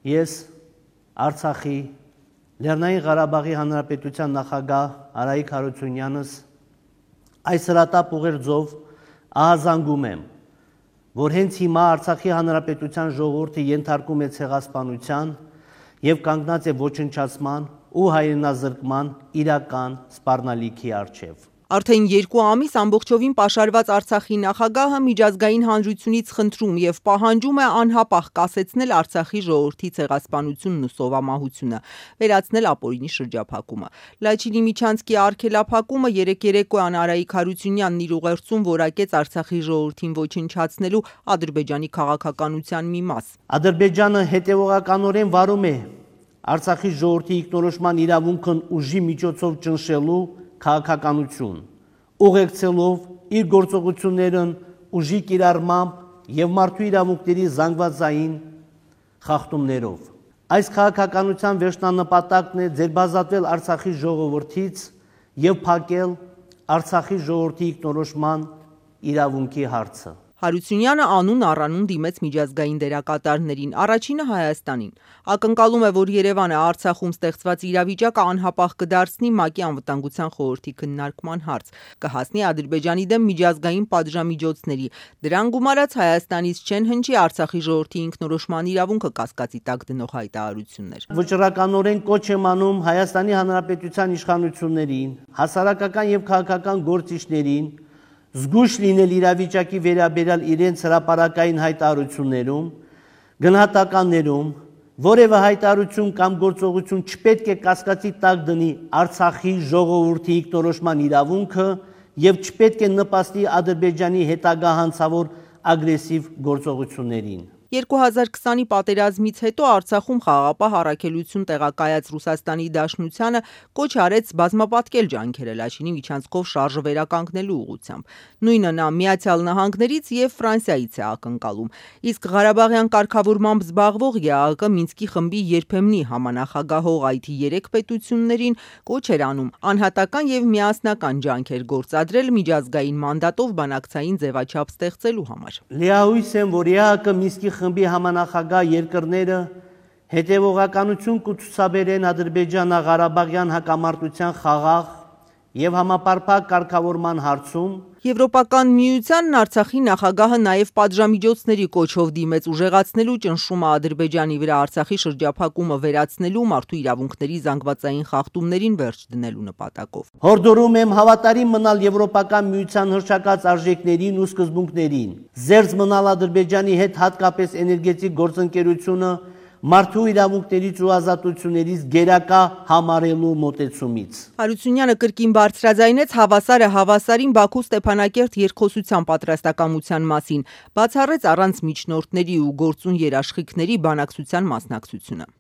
Ես Արցախի Լեռնային Ղարաբաղի Հանրապետության նախագահ Արայիկ Հարությունյանս այս հրատապ ուղերձով ահազանգում եմ, որ հենց հիմա Արցախի Հանրապետության ժողովուրդը ենթարկում է ցեղասպանության եւ կանգնած է ոչնչացման ու հայրենազրկման իրական սպառնալիքի առջև։ Արդեն 2 ամիս ամբողջովին պաշարված Արցախի նախագահը միջազգային հանրությունից խնդրում եւ պահանջում է անհապաղ կասեցնել Արցախի ժողովրդի ցեղասպանությունն ու սովամահությունը, վերացնել ապօրինի շրջափակումը։ Լաչինի Միչանցկի արգելափակումը երեկոյան Արայիկ Հարությունյանն իր ուղերձում որակեց Արցախի ժողովրդին ոչնչացնելու Ադրբեջանի քաղաքականության մի մաս։ Ադրբեջանը հետևողականորեն վարում է Արցախի ժողովրդի ինքնորոշման իրավունքն ուժի միջոցով ճնշելու քաղաքականություն, ուղեկցելով իր գործողություններն ուժի կիրառմամբ եւ մարդու իրավունքների զանգվածային խախտումներով։ Այս քաղաքականության վերջնանպատակն է ձերբազատվել Արցախի ժողովրդից եւ փակել Արցախի ժողովրդի ինքնորոշման իրավունքի հարցը։ Հարությունյանը անուն առանուն դիմեց միջազգային դերակատարներին, առաջինը Հայաստանին։ Ակնկալում է, որ Երևանը Արցախում ստեղծված իրավիճակը անհապաղ կդարձնի ՄԱԿ-ի անվտանգության խորհրդի քննարկման հարց, կհասնի Ադրբեջանի դեմ միջազգային պատժամիջոցների, դրան գումարած Հայաստանից չեն հնչի Արցախի ժողովրդի ինքնորոշման իրավունքը կասկածի տակ դնող հայտարարություններ։ Վճռականորեն կոչ եմ անում Հայաստանի Հանրապետության իշխանություններին, հասարակական եւ քաղաքական գործիչներին զգույշ լինել իրավիճակի վերաբերյալ իրենց հրապարակային հայտարարություններում, գնահատականներում, որևէ հայտարարություն կամ գործողություն չպետք է կասկածի տակ դնի Արցախի ժողովրդի ինքնորոշման իրավունքը եւ չպետք է նպաստի Ադրբեջանի հետագա հանցավոր ագրեսիվ գործողություններին։ 2020-ի պատերազմից հետո Արցախում խաղաղապահ առաքելություն տեղակայած Ռուսաստանի Դաշնությանը կոչ արեց բազմապատկել ջանքերը Լաչինի Միչանցկով շարժը վերականգնելու ուղղությամբ։ Նույնը նա Միացյալ Նահանգներից եւ Ֆրանսիայից է ակնկալում։ Իսկ Ղարաբաղյան կարգավորմամբ զբաղվող ԵԱՀԿ Մինսկի խմբի երբեմնի համանախագահող այդ 3 պետություններին կոչ էր անում անհատական եւ միասնական ջանքեր գործադրել միջազգային մանդատով բանակցային ձևաչափ ստեղծելու համար։ Լիահույս եմ, որ ԵԱՀԿ Մինսկի խմբի համանախագահ երկրները հետևողականություն կցուցաբերեն Ադրբեջանա-Ղարաբաղյան հակամարտության խաղաղ եւ համապարփակ կարգավորման հարցում։ Եվրոպական միությանն Արցախի նախագահը նաև պատժամիջոցների կոչով դիմեց ուժեղացնելու ճնշումը Ադրբեջանի վրա Արցախի շրջափակումը վերացնելու մարդու իրավունքների զանգվածային խախտումներին վերջ դնելու նպատակով։ Հորդորում եմ հավատարիմ մնալ Եվրոպական միության հռչակած արժեքներին ու սկզբունքներին, զերծ մնալ Ադրբեջանի հետ հատկապես էներգետիկ գործընկերությունը մարդու իրավունքներից ու ազատություններից գերակա համարելու մոտեցումից։ Հարությունյանը կրկին բարձրաձայնեց հավասարը հավասարին Բաքու Ստեփանակերտ երկխոսության պատրաստակամության մասին, բացառեց առանց միջնորդների ու գործուն երաշխիքների բանակցության մասնակցությունը։